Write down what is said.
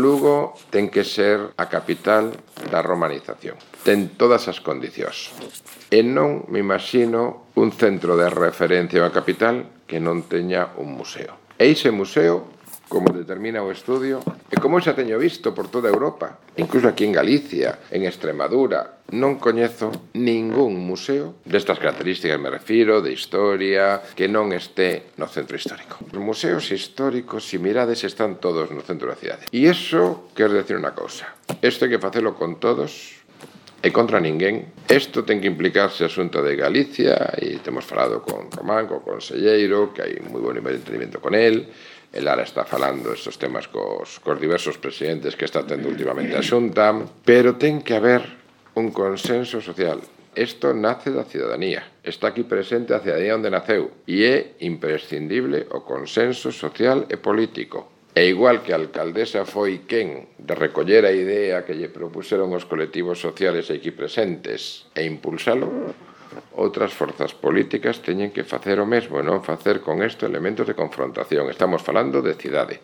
Lugo ten que ser a capital da romanización. Ten todas as condicións. E non me imagino un centro de referencia a capital que non teña un museo. E ese museo, como determina o estudio, e como xa teño visto por toda Europa, incluso aquí en Galicia, en Extremadura, non coñezo ningún museo destas características, me refiro, de historia, que non este no centro histórico. Os museos históricos, se mirades, están todos no centro da cidade. E iso quer decir unha cousa. Isto hai que facelo con todos e contra ninguén. Isto ten que implicarse a Xunta de Galicia, e temos falado con Román, co conselleiro, que hai moi bon nivel de entendimiento con el. El Lara está falando estes temas cos diversos presidentes que está tendo últimamente a Xunta, pero ten que haber un consenso social. Isto nace da cidadanía, está aquí presente a cidadanía onde naceu, e é imprescindible o consenso social e político. E igual que a alcaldesa foi quen de recoller a idea que lle propuseron os colectivos sociales aquí presentes e impulsalo, outras forzas políticas teñen que facer o mesmo e non facer con isto elementos de confrontación. Estamos falando de cidade.